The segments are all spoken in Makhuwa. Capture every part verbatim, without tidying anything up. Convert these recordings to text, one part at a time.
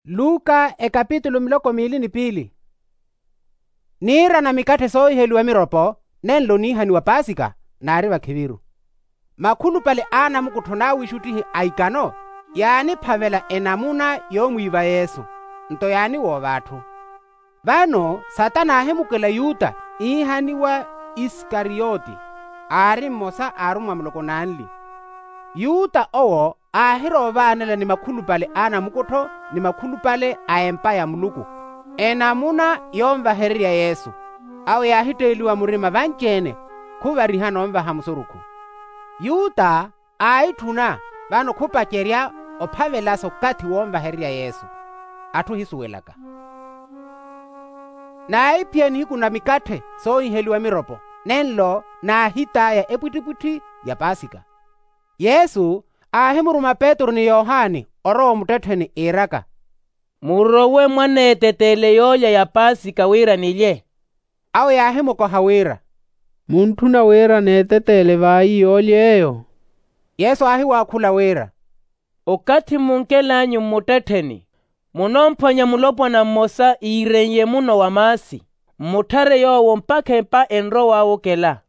Luka ekapitulu miloko miili ni piili. Niirana mikatthe soohiheliwa miropo, nenlo niihaniwa paasika, naari vakhiviru. Makhulupale a anamukuttho n'awiixuttihi a ikano, yaaniphavela enamuna yoomwiiva yesu, nto yaaniwoova atthu. Vano satana aahimukela yuta iihaniwa, isikariyoti, aari mmosa a arummwa muloko n'anli. Yuta owo aahirowa ovaanela ni makhulupale a anamukuttho ni makhulupale a empa ya muluku, enamuna yoonvahererya yesu. Awo yaahitteeliwa murima vanci-ene, khuvarihana onvaha musurukhu. Yuta aahitthuna, vano khupacerya ophavelasa okathi woonvahererya yesu. Atthu ohisuwelaka. Naahiphiyani nihiku na mikatthe soohiheliwa miropo, nenlo naahitaya epwittipwitthi ya paasika. Yesu aahimuruma petru ni yohani orowa omuttettheni iiraka, murowe mwaneeteteele yoolya ya paasika wira nilye. Awo yaahimukoha wira, muntthuna wira neeteteele vaayi yoolya eyo? Yesu aahiwaakhula wira, okathi mmunkel'anyu mmuttettheni, munoomphwanya mulopwana mmosa iiren'ye muno wa maasi, mmutthare yoowo mpakha empa enrow'awe okela.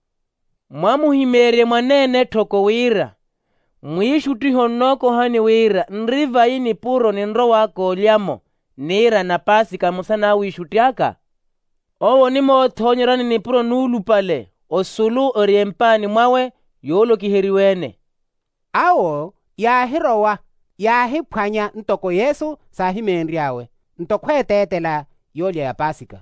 Mwamuhimeerye mwaneene etthoko wira, mwiixuttihi onnookohani wira nri vayi nipuro ninrow'aka olya-mo niirana paasika mmosa n'awiixutti aka. Owo onimoothoonyerani nipuro nuulupale osulu ori empaani mwawe yoolokiheriwe-ene. Awo yaahirowa, yaahiphwanya ntoko yesu saahimeenry'awe, nto khweeteetela yoolya ya paasika.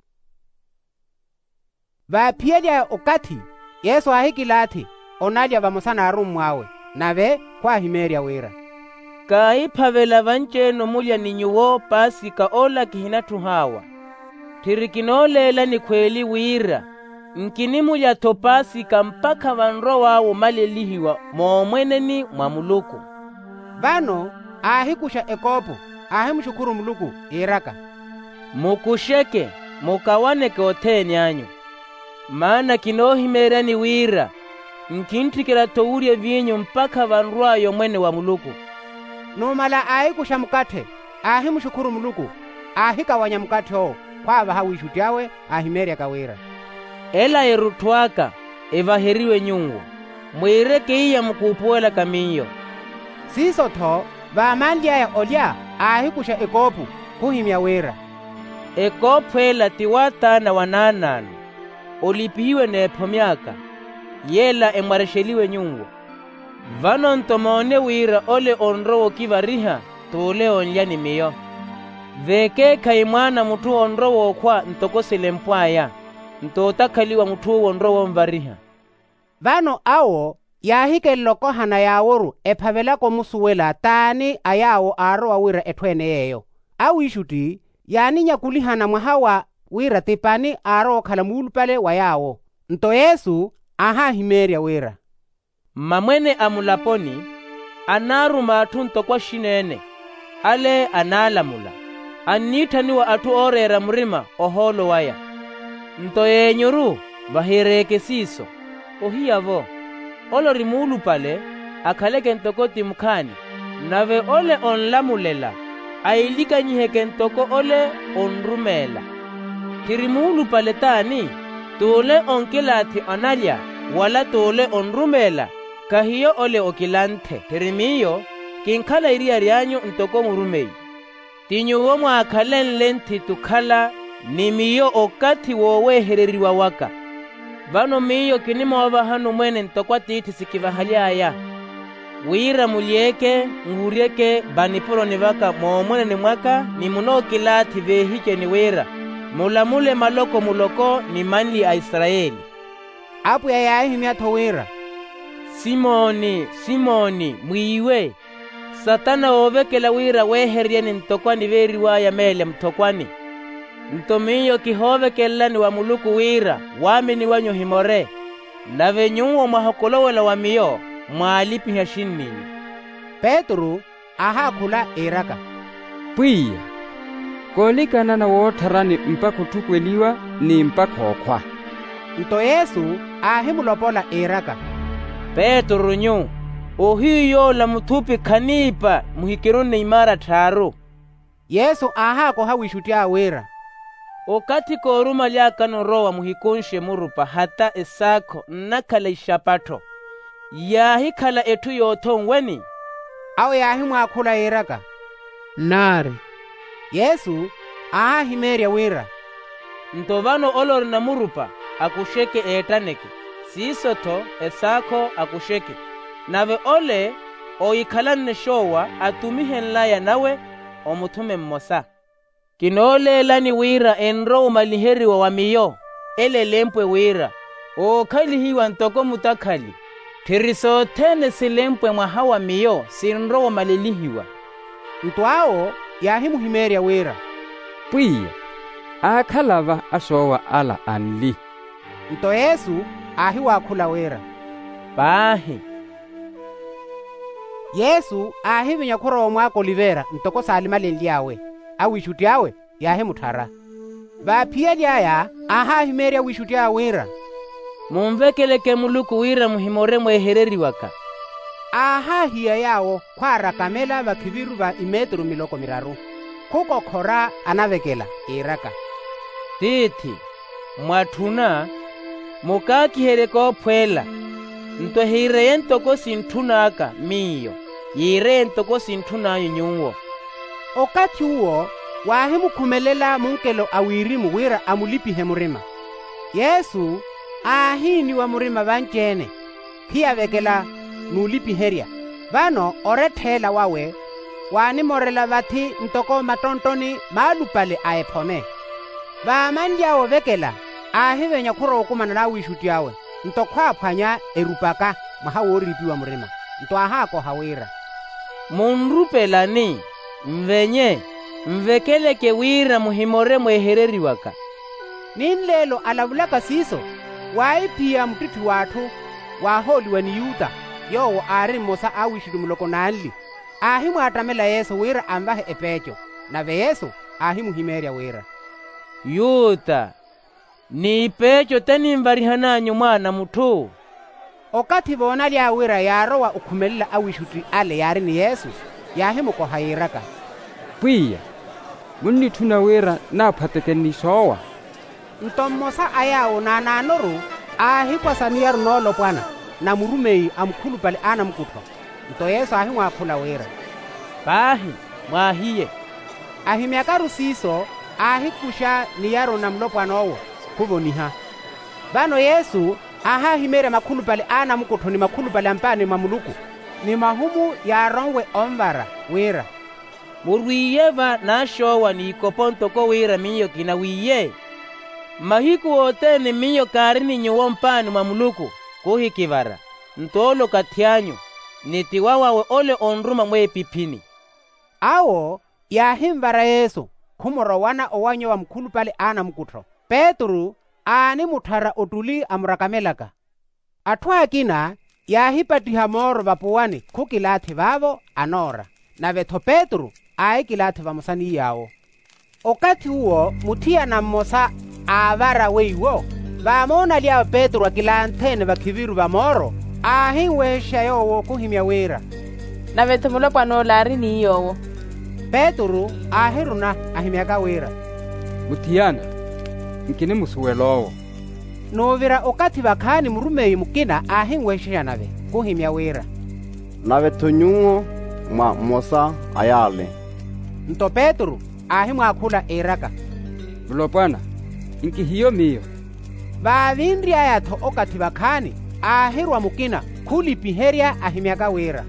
Vaaphiyely'aya okathi, yesu aahikilaathi onalya vamosa n'arummw'awe, nave khwaahimeerya wira, kaahiphavela vanci-ene omulya ni nyuwo paasika ola kihinatthuh'awa. Tthiri kinooleelani khweeli wira nkinimulya-tho paasika mpakha vanrow'awe omalelihiwa moomweneni mwa muluku. Vano aahikuxa ekoopo, aahimuxukhuru muluku iiraka, mukuxeke, mukawaneke othene anyu. Maana kinoohimeeryani wira nkintthikela-tho owurya eviinyu mpakha vanrw'aya omwene wa muluku. Numala aahikuxa mukatthe, aahimuxukhuru muluku, aahikawanya mukatthe owo khwaavaha awiixutti awe, aahimeeryaka wira, ela erutthu aka evaheriwe nyuwo, mwiireke iya mukuupuwelaka miyo. Siiso-tho vaamanly'aya olya, aahikuxa ekoopu, khuhimya wira, ekoophu ela ti w'ataana wa naanaano, olipihiwe n'ephomi aka, yela emwarexeliwe nyuwo. Vano nto moone wira ole onrowa okivariha t'ule onlya ni miyo. Veekeekhayi mwaana a mutthu onrowa okhwa ntoko selempw'aya, nto otakhaliwa mutth'uwo onrowa onvariha. Vano awo yaahikelela okohana yaaworu ephavelaka omusuwela t'ani a yaawo aarowa wira etthu-ene yeeyo. Awiixutti yaaninyakulihana mwaha wa wira ti pani aarowa okhala muulupale wa yaawo. Nto yesu aahaahimeerya wira, mmamwene a mulaponi anaaruma atthu ntoko axin'ene, ale anaalamula, anniitthaniwa atthu ooreera murima ohoolo waya. Nto yeenyuru vahireeke siiso. Ohiya-vo, ole ori muulupale akhaleke ntoko ti mukhaani, nave ole onlamulela ailikanyiheke ntoko ole onrumeela. Tthiri muulupale t'ani? T'ule onkilaathi analya, wala t'ule onrumeela? Khahiyo ole okilanthe. Tthiri miyo kinkhala eriyari anyu ntoko murumeyi. Ti nyuwo mwaakhalenle nthiti okhala ni miyo okathi woowehereriwa waka. Vano miyo kinimoovahani omwene ntoko atiithi sikivahaly'aya, wira mulyeeke, nwuryeke vanipuroni vaka moomweneni mwaka ni munookilaathi veehiceni wira mulamule maloko muloko ni manli a isarayeli. Apwiya yaahihimya-tho wira, simoni, simoni, mwiiwe. Satana oovekela wira weehereryeni ntoko aniveeriw'aya meele muthokwani. Nto miyo kihoovekelelani wa muluku wira waamini wanyu ohimore, nave nyuwo mwahokolowela wa miyo mwaalipiha axinninyu. Petru aahaakhula iiraka, pwiya, koolikanana woottharani mpakha otthukweliwa ni mpakha okhwa. Nto yesu aahimulopola iiraka, petru nyu, ohiyu yoola muthupi khaniipa muhikirunne imaara tthaaru. Yesu aahaakoha wiixutti awe wira, okathi koorumaly'akano orowa muhikunxe murupa hata esaakho nnakhala ixapattho. Yaahikhala etthu yoothonweni? Awo yaahimwaakhula yiiraka, nnaari. Yesu aahahimeerya wira, nto vano ole orina murupa akuxeke eettaneke, siiso-tho esaakho akuxeke. Nave ole oohikhalanne xoowa atumihenlaya nawe omuthume mmosa. Kinooleelani wira enrowa omaliheriwa wa miyo. Ele elempwe wira, ookhalihiwa ntoko mutakhali. Tthiri sothene silempwe mwaha wa miyo sinrowa omalelihiwa. Nto awo yaahimuhimeerya wira, pwiya, aakhala va axoowa ala anli. Nto yesu aahiwaakhula wira, paahi. Yesu aahivinya khurowa omwaaka oliveera ntoko saalimalenly'awe. Awiixutti awe yaahimutthara. Vaaphiyali aya aahahimeerya awiixutti awe wira, munvekeleke muluku wira muhimore mweehereriwaka. Aahaahiya yaawo khwaarakamela vakhiviru va imetru miloko miraru. Khukokhora anavekela yiiraka, tiithi, mwatthuna, mukaakiherye koophweela. Nto ehiireye ntoko sintthun'aka miyo, yiireye ntoko sintthun'anyu nyuwo. Okathi uwo waahimukhumelela munkelo a wirimu wira amulipihe murima. Yesu aahiiniwa murima vanci-ene, khiyavekela n'ulipiherya. Vano orettha ela wawe waanimorela vathi ntoko mattonttoni maalupale a ephome. Vaamanly'awe ovekela, aahivenya khurowa okumana n'awiixutti awe, nto khwaaphwanya erupaka mwaha wooriipiwa murima. Nto aahaakoha wira, munrupelani, nvenye, nvekeleke wira muhimore mweehereriwaka. Ni nleelo alavulaka siiso, waahiphiya muttitthi w'atthu waahooliwa ni yuta, yoowo aari mmosa a awiixutti muloko n'anli, aahimwaattamela yesu wira anvahe epeeco. Nave yesu aahimuhimeerya wira, yuta, n'ipeeco te ninvarihan'anyu mwaana a mutthu? Okathi voonaly'awe wira yaarowa okhumelela awiixutti ale yaari ni yesu, yaahimukoha yiiraka, pwiya, munnitthuna wira naaphwateke ni soowa? Nto mmosa a yaawo naanaanoru aahikwasa miyaru noolopwana na murumeyi a mukhulupale a anamukuttho. Nto yesu aahimwaakhula wira, paahi, mwaahiye. Ahimyakaru siiso, aahikuxa niyaru na mulopwan'owo, khuvoniha. Vano yesu aahahimeerya makhulupale a anamukuttho ni makhulupale a mpaani mwa muluku, ni mahumu yaaronwe onvara, wira, murwiiye va n'axoowa n'ikopo ntoko wira miyo kinawiiye. Mahiku othene miyo kaari ni nyuwo mpaani mwa muluku, khuhikivara. Nto ole okathi anyu, ni tiwa wawe ole onruma mweepiphini. Awo yaahinvara yesu, khumurowana owanyu wa mukhulupale a anamukuttho. Petru aanimutthara ottuli amurakamelaka. Atthu akina yaahipattiha mooro vapuwani khukilaathi vaavo anoora. Nave-tho petru aahikilaathi vamosa ni yaawo. Okathi uwo muthiyana mmosa aavara weiwo, vaamoonaly'awe petru akilantheene vakhiviru va mooro, aahinwehexa yoowo khuhimya wira, nave-tho mulopwan'ola aari ni yoowo. Petru aahiruna ahimyaka wira, muthiyana, nkinimusuwela owo. N'uvira okathi vakhaani murumeyi mukina aahinwehexa nave khuhimya wira, nave-tho nyuwo mwa mmosa a yaale. Nto petru aahimwaakhula iiraka, mulopwana, nkihiyo miyo. Vaavinry'aya-tho okathi vakhaani, aahirwa mukina khulipiherya ahimyaka wira,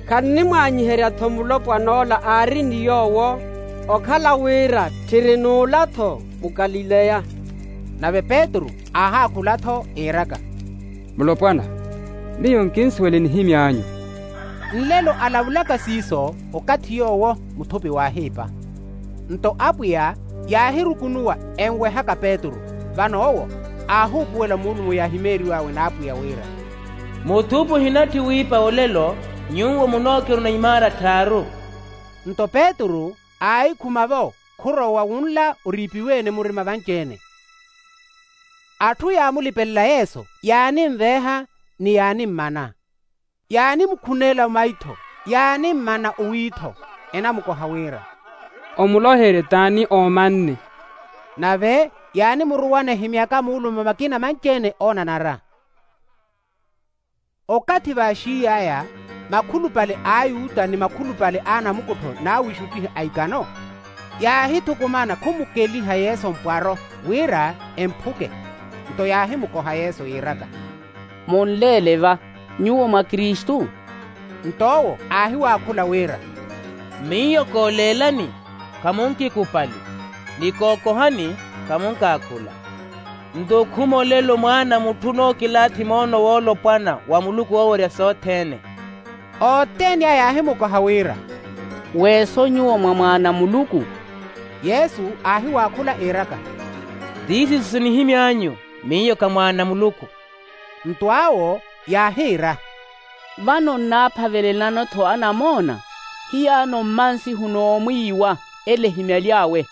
khannimwaanyiherya-tho mulopwan'ola aari ni yoowo, okhala wira tthiri n'ula-tho mukalileya. Nave petru aahaakhula-tho iiraka, mulopwana, miyo nkinsuwele nihimy'anyu. Nlelo alavulaka siiso, okathi yoowo muthupi waahiipa. Nto apwiya yaahirukunuwa enwehaka petru. Vano owo aahuupuwela muulumo yaahimeeriw'awe n'apwiya wira, muthupi ohinatthi wiipa olelo, nyuwo munookiruna imaara tthaaru. Nto petru aahikhuma-vo khurowa wunla oriipiwe-ene murima vanci-ene. Atthu yaamulipelela yesu, yaaninveeha ni yaanimmana. Yaanimukhunela maitho, yaanimmana owiitho, enamukoha wira, omuloherye t'ani oomanne. Nave yaanimuruwana ehimyaka muulume makina manci-ene oonanara. Okathi vaaxiiy'aya makhulupale a ayuta ni makhulupale a anamukuttho n'awixuttihi a ikano yaahithukumana khumukeliha yesu mpwaro wira emphuke. Nto yaahimukoha yesu yiiraka, munleele va, nyuwo mwa kristu? Nto owo aahiwaakhula wira, miyo kooleelani khamunkikupali, ni kookohani khamunkaakhula. Nto okhuma olelo mwaana a mutthu onookilaathi moono woolopwana wa muluku woowerya sothene. Othene aya yaahimukoha wira, weeso nyuwo mwa mwaana a muluku? Yesu aahiwaakhula iiraka, tiisiso sinihimy'anyu, miyo kha mwaana a muluku. Nto awo yaahiira, vano nnaaphavelelano-tho anamoona, hiyaano mmansihu n'omwiiwa ele ehimyaly'awe.